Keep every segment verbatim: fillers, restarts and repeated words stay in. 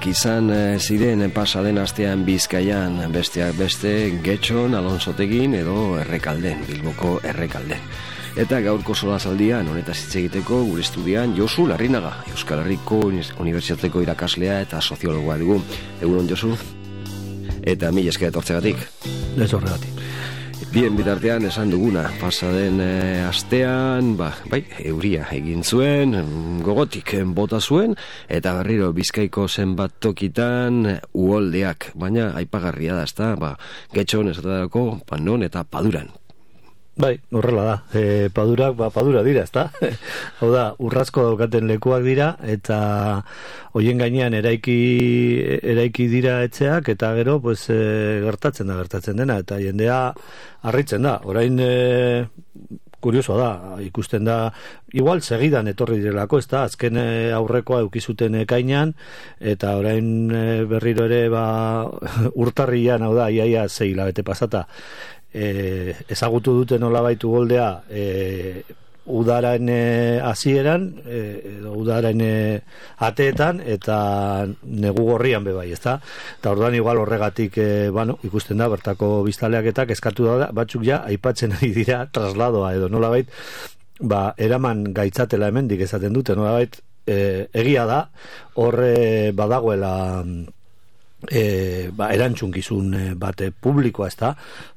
Istripuak izan ziren pasaden astean Bizkaian, besteak beste Getxon, Alonsotegin edo Errekalden, Bilboko Errekalden. Eta gaurko solasaldian honetaz hitz egiteko gure estudian Josu Larrinaga, Euskal Herriko Unibertsitateko irakaslea eta soziologoa dugu. Egunon, Josu? Eta mila esker etortzegatik. Ez horregatik. Bien bitartean esan duguna, pasaden e, astean, ba, bai, euria egin zuen, gogotik bota zuen, eta berriro Bizkaiko zenbat tokitan uholdeak, baina aipagarria da, ezta, ba, Getxon esaterako, Panon eta Paduran. Bai, horrela da. E, padurak, ba, padura dira, ezta? Hau da, urrazko daukaten lekuak dira, eta hoien gainean eraiki, eraiki dira etxeak, eta gero, pues, e, gertatzen da, gertatzen dena, eta jendea harritzen da. Orain, e, kuriosoa da, ikusten da, igual segidan etorri direlako, ez da, azken aurrekoa eukizuten ekainan, eta orain e, berriro ere, ba, urtarrian, hau da, iaia zei hilabete pasata, E, ezagutu dute nolabait uholdea e, udaren hasieran e, edo udaren e, ateetan eta negu gorrian bebai, ezta? Eta orduan igual horregatik e, bueno, ikusten da bertako biztaleak eta eskatu da batzuk ja aipatzen ari dira trasladoa edo nolabait ba eraman gaitzatela hemendik esaten dute nolabait e, egia da hor e, badagoela E, ba, erantzunkizun bate publikoa ez da,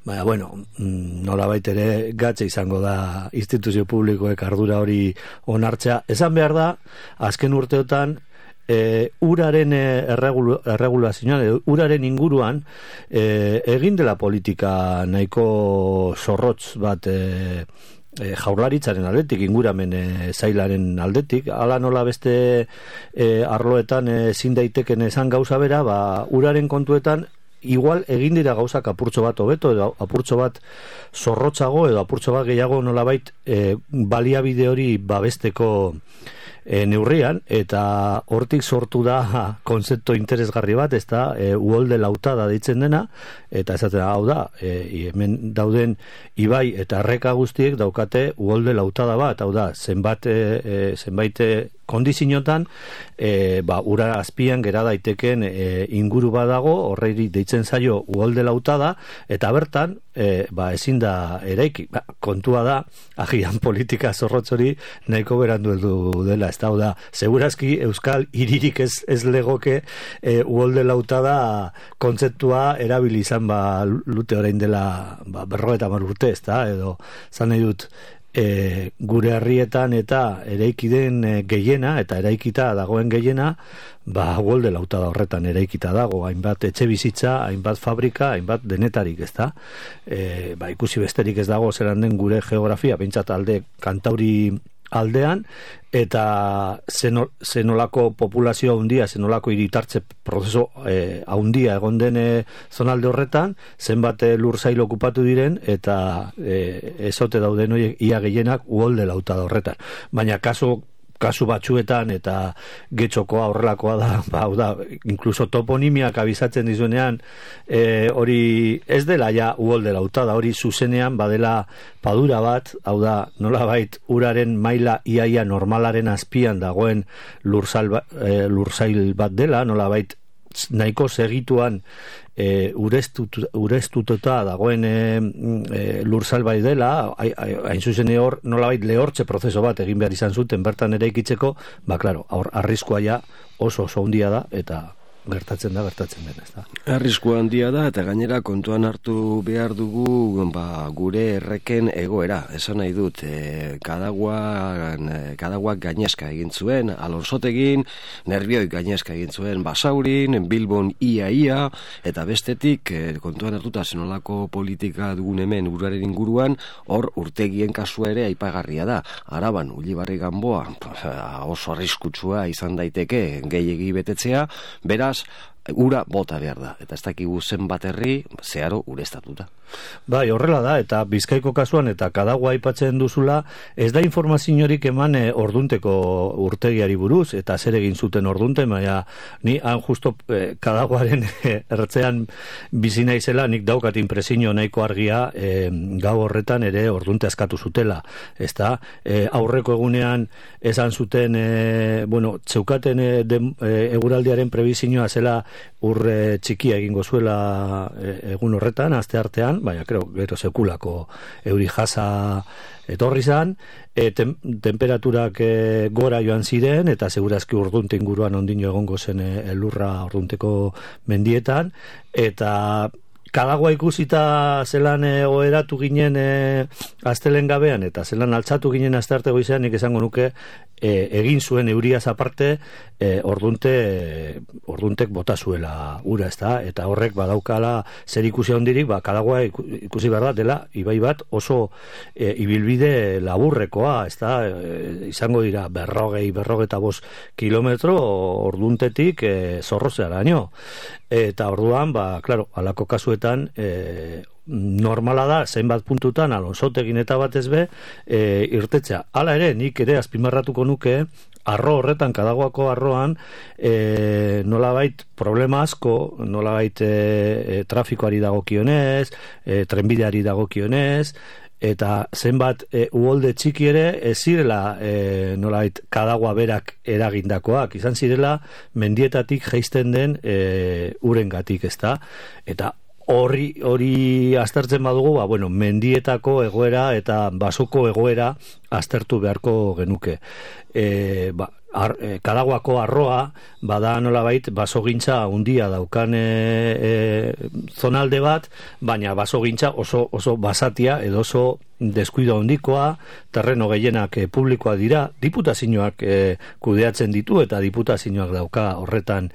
baina bueno, nolabait ere gatze izango da instituzio publikoek ardura hori onartzea. Esan behar da, azken urteotan e, uraren erregul, erregulazioan, uraren inguruan e, egin dela politika nahiko zorrotz bat e, E, jaurlaritzaren aldetik, inguramen e, zailaren aldetik, ala nola beste e, arloetan ezin e, daiteken esan gauza bera, ba, uraren kontuetan igual egin dira gauzak apurtxo bat hobeto edo apurtxo bat zorrotzago edo apurtxo bat gehiago nolabait e, baliabide hori babesteko E, neurrian, eta hortik sortu da konzeptu interesgarri bat, ez da, e, uholde lautada deitzen dena, eta esaten hau da, e, hemen dauden ibai eta erreka guztiek daukate uholde lautada bat, hau da, zenbat, e, zenbait kondiziotan, e, ba, ura azpian gera daiteken e, inguru badago, horreiri deitzen zaio uholde lautada, eta bertan, e, ba, ezin da eraiki. Ba, kontua da, agian politika zorrotzori nahiko berandu heldu dela, ez da, da, segurazki Euskal hiririk ez, ez legoke e, uholde lautada kontzeptua erabili izan ba, lute orain dela ba, berrogeita hamar urte, ez da, edo zan nahi dut, E, gure herrietan eta eraiki den e, gehiena eta eraikita dagoen gehiena ba uholde lautada horretan eraikita dago, hainbat etxe bizitza, hainbat fabrika, hainbat denetarik, ezta? E, ba ikusi besterik ez dago zelan den gure geografia, pentsat alde Kantauri aldean, eta zenolako populazio handia, zenolako hiritartze prozeso eh, handia egon den eh, zonalde horretan, zenbat lur zail okupatu diren, eta eh, ezote dauden horiek ia gehienak uholde lautada horretan. Baina kasu kasu batzuetan eta Getxokoa horrelakoa da, ba, da, inkluso toponimiak abizatzen dizuenean e, hori ez dela ja uholde lautada, hori zuzenean badela padura bat, hau da, nolabait uraren maila iaia normalaren azpian dagoen lurzail, e, lurzail bat dela, nolabait nahiko segituan e, urestut, urestututa dagoen e, e, lurzail bai dela, hain zuzen hor nolabait lehortze prozeso bat egin behar izan zuten bertan ere ikitzeko, ba klaro, hor arriskua ja oso oso handia da, eta gertatzen da, gertatzen dena, ez da. Arrisku handia da, eta gainera kontuan hartu behar dugu ba, gure erreken egoera. Esan nahi dut, e, kadaguak, kadaguak gainezka egin zuen, Alonsotegin, Nerbioi gainezka egin zuen, Basaurin, Bilbon ia-ia, eta bestetik, e, kontuan hartuta zenolako politika dugun hemen uraren inguruan, hor urtegien kasua ere aipagarria da. Araban, Ulibarri Ganboa, oso arriskutsua izan daiteke gehiegi betetzea, beraz, ura bota behar da, eta ez dakigu zenbat herri zeharo ureztatuta. Bai, horrela da, eta Bizkaiko kasuan eta Kadagua aipatzen duzula, ez da informaziorik eman e, ordunteko urtegiari buruz, eta zer egin zuten ordunte, baina ni han justo e, Kadaguaren e, ertzean bizi naizela, nik daukat impresio nahiko argia e, gau horretan ere ordunte askatu zutela, ez da, e, aurreko egunean esan zuten, e, bueno, txeukaten e, de, e, eguraldiaren prebizioa zela urre txikia egingo zuela e, egun horretan, aste artean, baina, creo, gero sekulako euri jasa etorri zan, e, tem, temperaturak e, gora joan ziren, eta segurazki urdunte inguruan ondino egongo zen e, elurra urdunteko mendietan, eta Kadagua ikusita zelan e, oheratu ginen e, astelen gabean, eta zelan altzatu ginen astearte goizean, nik esango nuke e, egin zuen euriaz aparte e, ordunte e, orduntek bota zuela ura, ezta, eta horrek badaukala zer ikusi handirik, ba, Kadagua ikusi behar da dela ibai bat oso e, ibilbide laburrekoa, ezta, e, izango dira berrogei, berrogeta bost kilometro orduntetik e, zorrozearaino. Eta orduan, ba, claro, alako kasuetan e, normala da, zenbat puntutan Alonsotegin eta batez be e, irtetzea. Hala ere, nik ere azpimarratuko nuke, arro horretan, Kadaguako arroan, e, nolabait problema asko, nolabait e, e, trafikoari dagokionez, e, trenbideari dagokionez, eta zenbat e, uholde txiki ere ez zirela e, nolait Kadagua berak eragindakoak, izan zirela mendietatik jaisten den e, urengatik, ezta, eta hori hori aztertzen badugu, ba, bueno, mendietako egoera eta basoko egoera aztertu beharko genuke. E, ba, ar, e, Kadaguako arroa bada nolabait basogintza handia daukan e, e, zonalde bat, baina basogintza oso oso basatia edo oso deskuido handikoa, terreno gehienak e, publikoa dira, diputazioak e, kudeatzen ditu eta diputazioak dauka horretan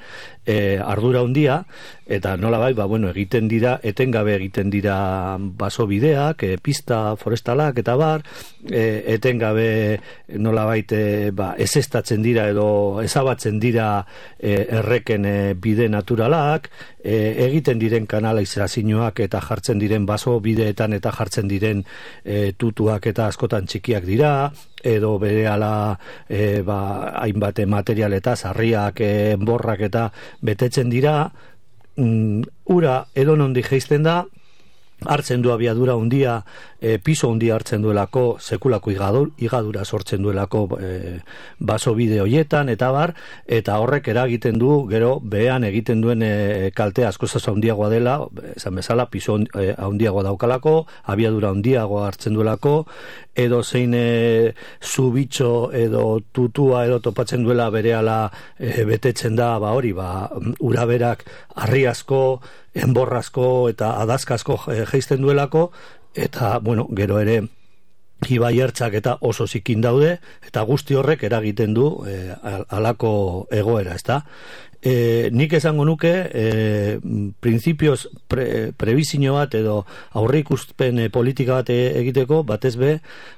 e, ardura handia, eta nolabait, ba, bueno, egiten dira, etengabe egiten dira basobideak, e, pista forestalak eta bar, e, etengabe nolabait e, ba, ezestatzen dira edo ezabatzen dira e, erreken e, bide naturalak, e, egiten diren kanalizazioak eta jartzen diren baso bideetan eta jartzen diren e, tutuak eta askotan txikiak dira, edo berehala e, ba, hainbat material eta sarriak, e, enborrak eta betetzen dira, mm, ura edonondik jaisten da, hartzen du abiadura handia, e, piso handia hartzen duelako, sekulako igadur, igadura sortzen duelako e, baso bide hoietan, eta bar, eta horrek eragiten du, gero behean egiten duen e, kalte askozaz handiagoa dela, esan bezala, piso e, handiagoa daukalako, abiadura handiagoa hartzen duelako, edo zein e, zubitxo edo tutua edo topatzen duela berehala e, betetzen da, ba hori, ba, uraberak harriazko, enborrazko eta adazkasko jaisten duelako, eta, bueno, gero ere ibai ertzak eta oso zikin daude, eta guzti horrek eragiten du e, alako egoera, ezta? E, nik esango nuke e, printzipioz pre, prebizio bat edo aurre ikuspen e, politika bat egiteko, batez be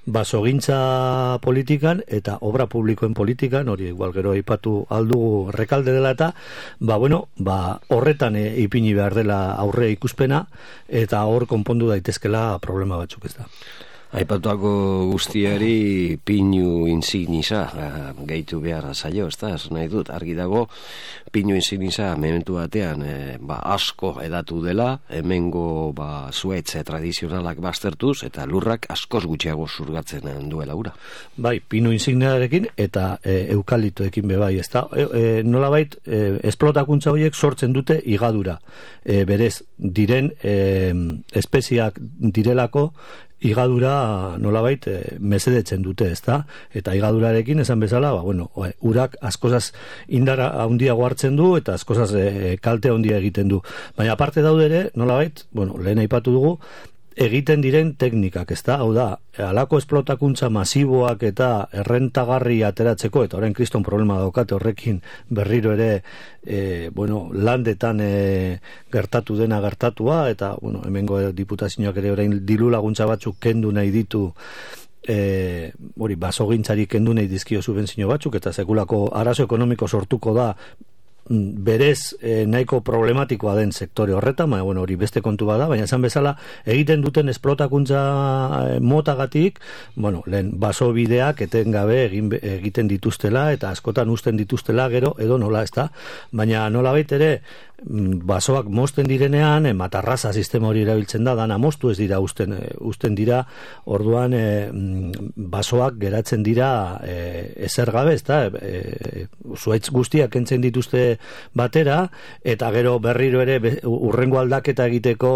basogintza politikan eta obra publikoen politikan, hori igual gero aipatu aldugu rekalde dela eta ba bueno, ba horretan e, ipini behar dela aurre ikuspena eta hor konpondu daitezkela problema batzuk, ez da. Aipatuako guztiari pinu insignisa gehitu behar zaio, ez da, ez nahi dut, argi dago pinu insignisa mementu batean e, ba, asko edatu dela, hemengo ba, zuetze tradizionalak baztertuz, eta lurrak askoz gutxiago zurgatzen duela ura. Bai, pinu insigniarekin eta e, eukalitoekin be bai, ez da, e, e, nolabait e, esplotakuntza horiek sortzen dute igadura, e, berez diren e, espeziak direlako, igadura nolabait e, mesedetzen dute, ezta? Eta igadurarekin esan bezala, ba, bueno, urak askozaz indara handiago hartzen du eta askozaz e, kalte handia egiten du. Baina aparte daude ere, nolabait, bueno, lehen aipatu dugu, egiten diren teknikak, ezta? Hau da, halako esplotakuntza masiboak eta errentagarri ateratzeko, eta orain kriston problema daukate horrekin berriro ere e, bueno, landetan e, gertatu dena gertatua, eta bueno, hemengo diputazioak ere orain diru laguntza batzuk kendu nahi ditu e, hori, basogintzari kendu nahi dizkio subentzio batzuk, eta sekulako arazo ekonomiko sortuko da berez e, nahiko problematikoa den sektore horretan, baina bueno, hori beste kontu bada, baina esan bezala egiten duten esplotakuntza e, motagatik, bueno, lehen baso bideak etengabe egin, egiten dituztela eta askotan usten dituztela gero edo nola, ezta? Baina nola bait ere basoak mozten direnean, e, matarraza sistema hori erabiltzen da, dana moztu ez dira usten, e, usten dira, orduan e, basoak geratzen dira e, ezer gabe, ezta? E, zuaitz guztiak kentzen dituzte batera, eta gero berriro ere be, urrengo aldaketa egiteko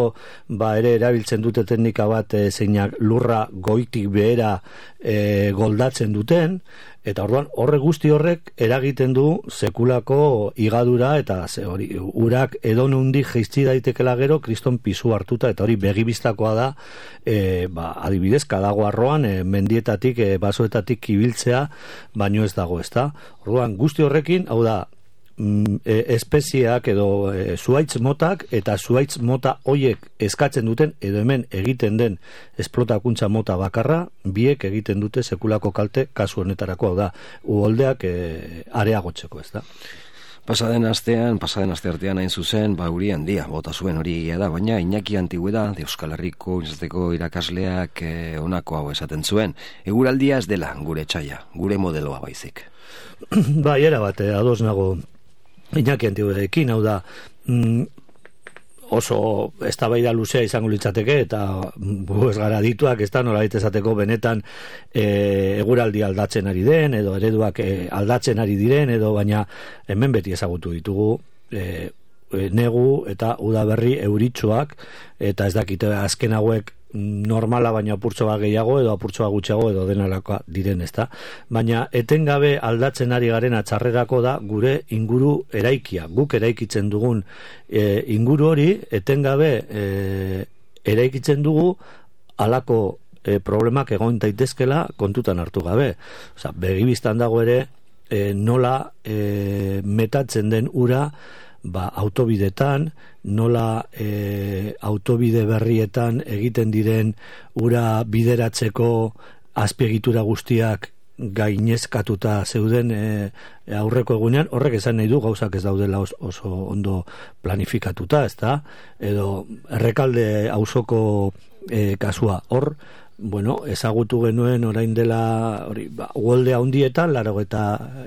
ba ere erabiltzen dute teknika bat e, zeinak lurra goitik behera e, goldatzen duten, eta orduan horre guzti horrek eragiten du sekulako igadura eta ze hori urak edonundik jaitsi daitekela gero kriston pisu hartuta, eta hori begibistakoa da e, ba, adibidez kadaguarroan e, mendietatik e, basoetatik ibiltzea baino ez dago, ezta? Orduan guzti horrekin, hau da espezieak edo e, zuaitz motak eta zuaitz mota hoiek eskatzen duten edo hemen egiten den esplotakuntza mota bakarra biek egiten dute sekulako kalte kasu honetarako, hau da uholdeak e, areagotzeko, ez da? Pasaden astean, pasaden aste artean hain zuzen, ba uri handia, bota zuen hori egia da, baina Iñaki Antigüeda, de Euskal Herriko izateko irakasleak e, honako hau esaten zuen. Eguraldia ez dela gure etxaia, gure modeloa baizik. Bai, era bat, ados nago Iñaki Antigüedarekin, hau da mm, oso eztabaida luzea izango litzateke eta gu ez gara dituak, ez da nolabait esateko benetan e, eguraldi aldatzen ari den edo ereduak e, aldatzen ari diren edo, baina hemen beti ezagutu ditugu e, e, negu eta udaberri euritsuak, eta ez dakite azken hauek normala baina apurtxoa gehiago edo apurtxoa gutxiago edo denalakoa diren, ezta? Baina etengabe aldatzen ari garen atxarrerako da gure inguru eraikia, guk eraikitzen dugun e, inguru hori etengabe e, eraikitzen dugu halako e, problemak egon daitezkela kontutan hartu gabe. Osea, begibistan dago ere e, nola e, metatzen den ura ba, autobidetan, nola e, autobide berrietan egiten diren ura bideratzeko azpiegitura guztiak gainezkatuta zeuden e, aurreko egunean, horrek esan nahi du gauzak ez daudela oso, oso ondo planifikatuta, ezta? Edo Errekalde auzoko e, kasua hor, bueno, ezagutu genuen orain dela hori, ba, uholde handietan, laurogeita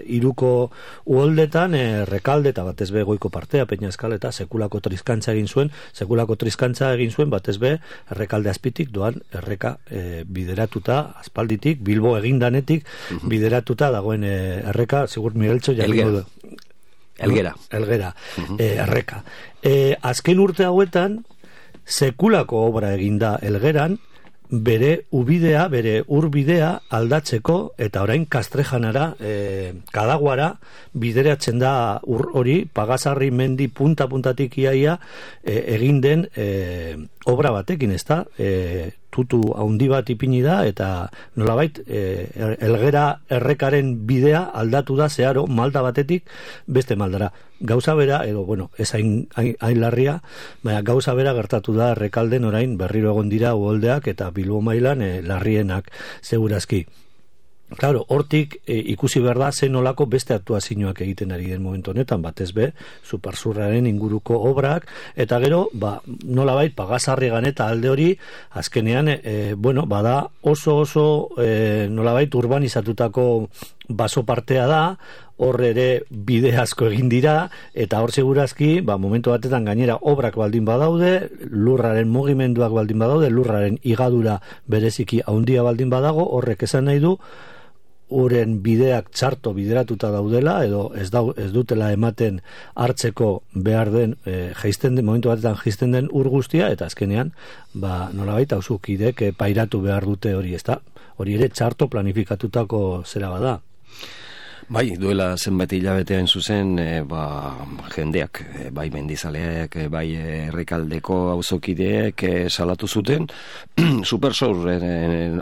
hiruko uholdetan Errekalde eta batez be goiko partea, Peñaskal eta sekulako triskantza egin zuen, sekulako triskantza egin zuen batez be Errekalde azpitik doan erreka e, bideratuta aspalditik, Bilbo egindanetik uh-huh. bideratuta dagoen e, erreka, sigur Migueltxo jakingo du. Elgera. Elgera, uh-huh. e, erreka. E, azken urte hauetan sekulako obra eginda Elgeran, bere ubidea, bere urbidea aldatzeko, eta orain Kastrejanara, e, Kadaguara bideratzen da ur hori, Pagazarri mendi punta-puntatik iaia e, egin den e, obra batekin, ez da? E, tutu haundi bat ipini da, eta nolabait e, Elgera errekaren bidea aldatu da zeharo malda batetik beste maldara. Gauza bera, edo, bueno, ez hain, hain, hain larria, baina gauza bera gertatu da Errekalden orain berriro egon dira uholdeak eta Bilbo mailan e, larrienak segurazki. Claro, hortik e, ikusi behar da zen nolako beste aktuazioak egiten ari den momentu honetan, batez be, Supersurraren inguruko obrak, eta gero, ba, nolabait, Pagazarrigan eta alde hori, azkenean, e, bueno, bada oso oso e, nolabait urbanizatutako baso partea da, hor ere bide asko egin dira, eta hor segurazki, ba, momentu batetan gainera obrak baldin badaude, lurraren mugimenduak baldin badaude, lurraren igadura bereziki handia baldin badago, horrek esan nahi du, uren bideak txarto bideratuta daudela, edo ez, dau, ez dutela ematen hartzeko behar den, e, jaisten den, momentu batetan jaisten den ur guztia, eta azkenean, ba, nolabait, auzukidek e, pairatu behar dute hori, ezta? Hori ere txarto planifikatutako zera bada. Bai, duela zenbait hilabetean zuzen, e, ba, jendeak, e, bai mendizaleak, e, bai Errekaldeko auzokideek e, salatu zuten, Supersur e,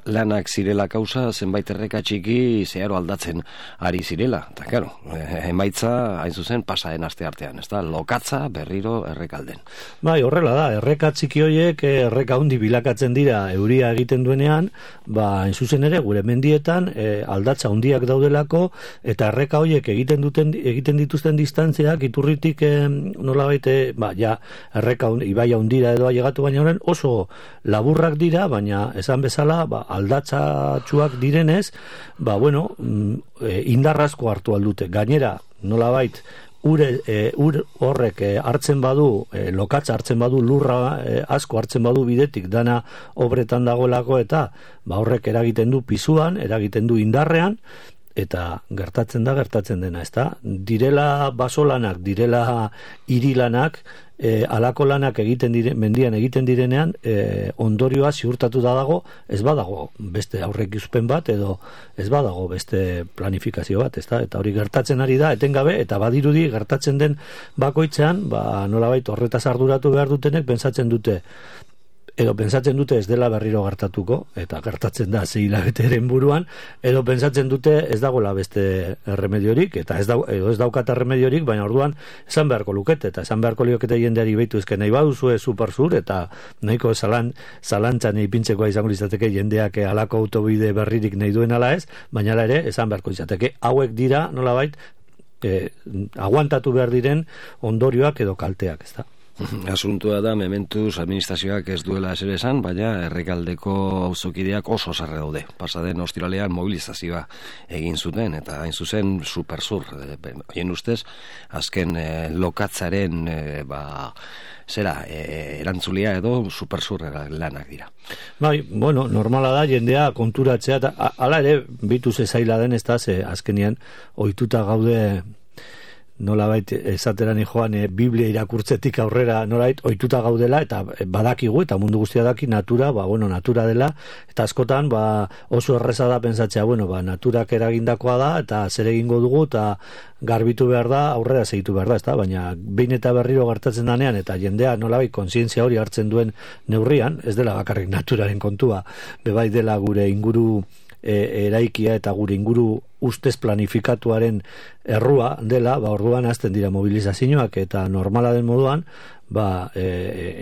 lanak zirela kausa, zenbait erreka txiki zeharo aldatzen ari zirela. Eta, claro, e, emaitza, hain zuzen, pasaden aste artean, ez da, lokatza berriro Errekalden. Bai, horrela da, erreka txiki horiek, erreka handi bilakatzen dira euria egiten duenean, ba, hain zuzen ere, gure mendietan, e, aldatza handiak daudelako, eta eta erreka horiek egiten duten egiten dituzten distantziak iturritik eh, nolabait eh, ba ja erreka ibaia hundira edo ailegatu baina horren oso laburrak dira, baina esan bezala ba aldatzatsuak direnez, ba bueno, e, indarrazko hartu aldute. Gainera, nolabait ure e, ur horrek e, hartzen badu, e, lokatza hartzen badu, lurra e, asko hartzen badu bidetik dana obretan dagoelako, eta ba horrek eragiten du pisuan, eragiten du indarrean, eta gertatzen da gertatzen dena, ezta? Direla basolanak, direla hirilanak, E, alako lanak egiten dire, mendian egiten direnean e, ondorioa ziurtatu da dago, ez badago beste aurrekuspen bat edo ez badago beste planifikazio bat, ezta? Eta hori gertatzen ari da etengabe, eta badirudi gertatzen den bakoitzean, ba nolabait horretaz arduratu behar dutenek pentsatzen dute edo pentsatzen dute ez dela berriro gertatuko, eta gertatzen da sei hilabeteren buruan, edo pentsatzen dute ez dagoela beste remediorik, eta ez, da, edo ez daukata remediorik, baina orduan esan beharko lukete, eta esan beharko liokete jendeari behitu ezken nahi baduzue supersur, eta nahiko zalan, zalantzan ipintzekoa izango izateke jendeak alako autobide berririk nahi duen ala ez, baina ere esan beharko izateke hauek dira nolabait eh, aguantatu behar diren ondorioak edo kalteak, ez da? Asuntua da, mementuz administrazioak ez duela ezer esan, baina Errekaldeko auzokideak oso sarre daude. Pasaden ostiralean mobilizazioa egin zuten, eta hain zuzen supersur. Hien ustez, azken eh, lokatzaren eh, ba, zera, eh, erantzulia edo supersur lanak dira. Bai, bueno, normala da jendea konturatzea, eta hala ere, bitu zezaila den ez da, ze azkenian ohituta gaude nolabait esateran joan e, Biblia irakurtzetik aurrera nolabait ohituta gaudela, eta badakigu eta mundu guztia daki natura, ba bueno, natura dela, eta askotan ba oso erreza da pentsatzea, bueno, ba naturak eragindakoa da eta zer egingo dugu eta garbitu behar da, aurrera segitu behar da, ezta? Baina behin eta berriro gertatzen danean eta jendea nolabait kontzientzia hori hartzen duen neurrian, ez dela bakarrik naturaren kontua, bebai dela gure inguru E, eraikia eta gure inguru ustez planifikatuaren errua dela, ba orduan hasten dira mobilizazioak, eta normala den moduan ba e,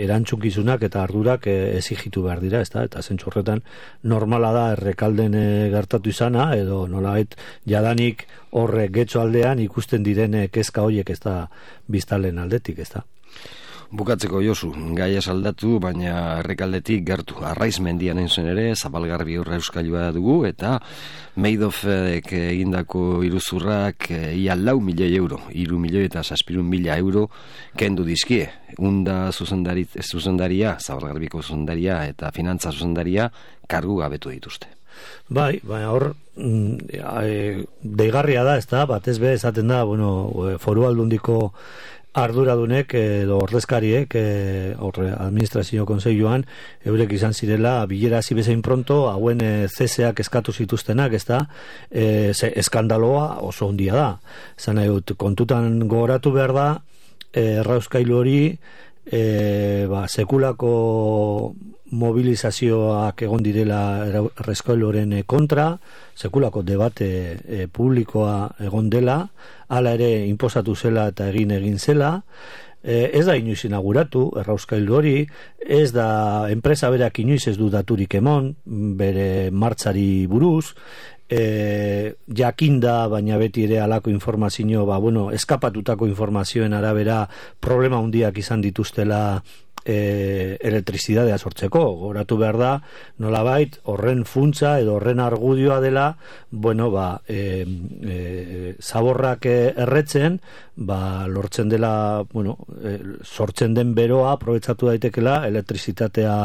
erantzukizunak eta ardurak e, exigitu behar dira, ezta? Eta zentzu horretan normala da Errekalden e, gertatu izana, edo nolabait jadanik horre getxo aldean ikusten diren kezka horiek, ez da biztalen aldetik, ez da? Bukatzeko Josu, gaia saldatu, baina Errekaldetik gertu. Arraiz mendian entzuen ere, Zabalgarbi horra euskailua dugu, eta Meidofek egindako iruzurrak ia lau milioi euro, iru milioi eta zazpirun mila euro kendu dizkie. Unda zuzendari, zuzendaria, Zabalgarbiko zuzendaria eta finantza zuzendaria kargu gabetu dituzte. Bai, baina hor e, deigarria da, ez da, batez be esaten da, bueno, Foru Aldundiko arduradunek edo ordezkariek e, horre administrazio kontseiluan eurek izan zirela bilera hasi bezain pronto hauen e, zeseak eskatu zituztenak, ezta? E, ze, eskandaloa oso handia da. Esan nahi dut, kontutan gogoratu behar da e, errauskailu hori e, ba, sekulako mobilizazioak egon direla errauskailuaren kontra, sekulako debate e, publikoa egon dela, hala ere inposatu zela eta egin egin zela, e, ez da inoiz inauguratu errauskailu hori, ez da enpresa berak inoiz ez du daturik emon bere martxari buruz, e, jakinda, baina beti ere alako informazio, ba, bueno, eskapatutako informazioen arabera problema handiak izan dituztela E, elektrizidadea sortzeko. Goratu behar da, nolabait horren funtsa edo horren argudioa dela, bueno, ba e, e, zaborrak erretzen, ba lortzen dela, bueno, e, sortzen den beroa aprobetxatu daitekela elektrizitatea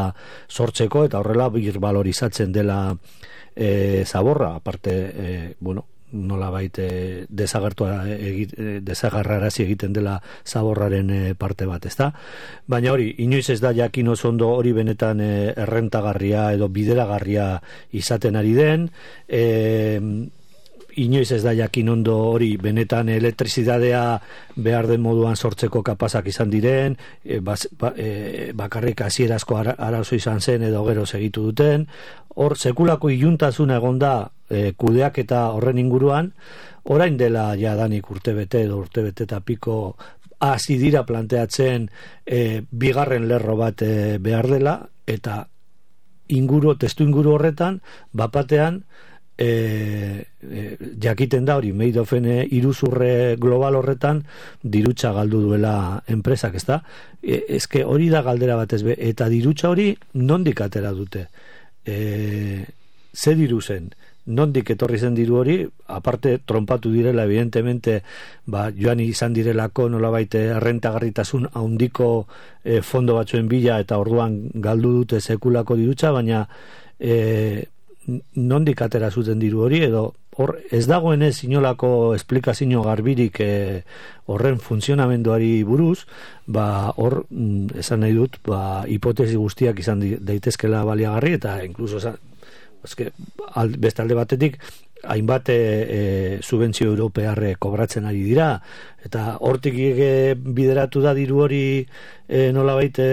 sortzeko, eta horrela birbalorizatzen dela e, zaborra, aparte e, bueno, nolabait e, desagertua e, desagarrarazi egiten dela zaborraren e, parte bat, ezta? Baina hori, inoiz ez da jakin oso ondo hori benetan e, errentagarria edo bideragarria izaten ari den, e, inoiz ez da jakin ondo hori benetan elektrizidadea behar den moduan sortzeko kapazak izan diren, e, bas, ba, e, bakarrik hasierazko ara, arazo izan zen edo gero segitu duten, hor sekulako iluntasuna egon da e, kudeak eta horren inguruan, orain dela jadanik urtebete edo urtebete eta piko hasi dira planteatzen e, bigarren lerro bat e, behar dela, eta inguru, testu inguru horretan, bapatean E, e, jakiten da hori Meidofen iruzurre global horretan dirutza galdu duela enpresak, ezta? E, eske hori da galdera batez be, eta dirutza hori nondik atera dute? E, ze diru zen? Nondik etorri zen diru hori? Aparte trompatu direla evidentemente, ba, joan izan direlako nolabait errentagarritasun handiko e, fondo batzuen bila eta orduan galdu dute sekulako dirutza, baina e, nondik atera zuten diru hori, edo hor ez dagoenez inolako esplikazio garbirik e, horren funtzionamenduari buruz, ba hor mm, esan nahi dut, ba hipotesi guztiak izan daitezkela baliagarri, eta inkluso esan, eske, al, beste alde batetik hainbat e, e, subentzio europearre kobratzen ari dira, eta hortik e, bideratu da diru hori e, nolabait e,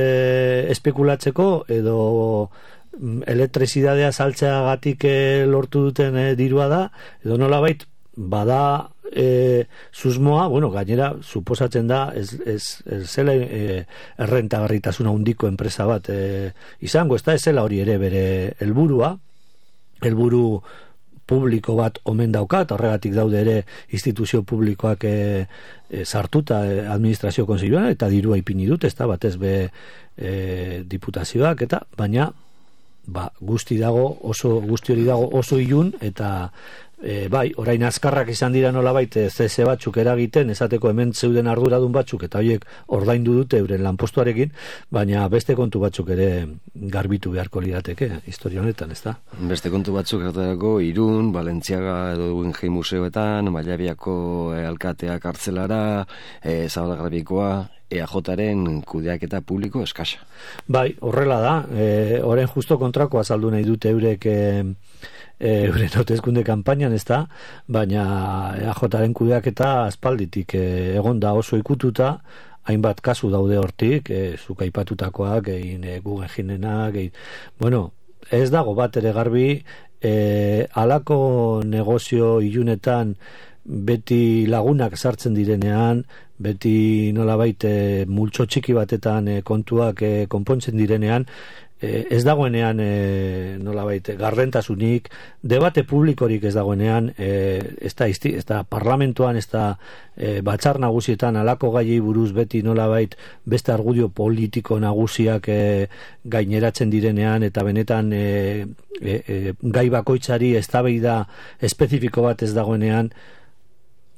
espekulatzeko, edo elektrizidadea saltzeagatik e, lortu duten e, dirua da, edo nolabait bada e, susmoa, bueno, gainera suposatzen da ez, ez, ez zela e, errentagarritasuna handiko enpresa bat e, izango, ez da ez zela hori ere bere helburua, helburu publiko bat omen daukat, horregatik daude ere instituzio publikoak e, e, sartuta e, administrazio kontseiluan, eta dirua ipini dut, ez da batez be e, diputazioak, eta baina ba, guzti dago, oso guzti hori dago oso ilun, eta e, bai, orain azkarrak izan dira nolabait C S batzuk eragiten, esateko hemen zeuden arduradun batzuk, eta horiek ordaindu dute euren lanpostuarekin, baina beste kontu batzuk ere garbitu beharko lirateke historia honetan, ezta? Beste kontu batzuk ertarako Irun, Balentziaga edo Guggenheim museoetan, Mailabiako e, alkatea kartzelara, e, Zabalagarbikoa, E A Jaren kudeaketa publiko eskasa. Bai, horrela da. E, orain justo kontrako azaldu nahi dute eurek e, e, euren hauteskunde kanpainan, ez da, baina E A Jaren kudeaketa aspalditik e, egon da oso ikututa, hainbat kasu daude hortik, e, zuk aipatutakoak, egin e, Guggenheimenak, egin, bueno, ez dago bat ere garbi, e, halako negozio ilunetan beti lagunak sartzen direnean, beti nolabait e, multxo txiki batetan e, kontuak e, konpontzen direnean, e, ez dagoenean e, nolabait gardentasunik, debate publikorik ez dagoenean, e, ez da, ez da parlamentuan, ez da e, batzar nagusietan halako gaiei buruz beti nolabait beste argudio politiko nagusiak e, gaineratzen direnean, eta benetan e, e, e, gai bakoitzari eztabaida espezifiko bat ez dagoenean,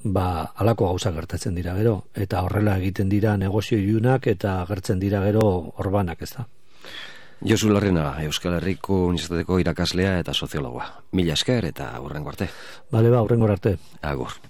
ba, halako gauza gertatzen dira gero, eta horrela egiten dira negozio ilunak eta gertzen dira gero orbanak, ez da. Josu Larrena, Euskal Herriko Unibertsitateko irakaslea eta soziologoa. Mila esker eta hurrengo arte. Bale ba, hurrengo arte. Agur.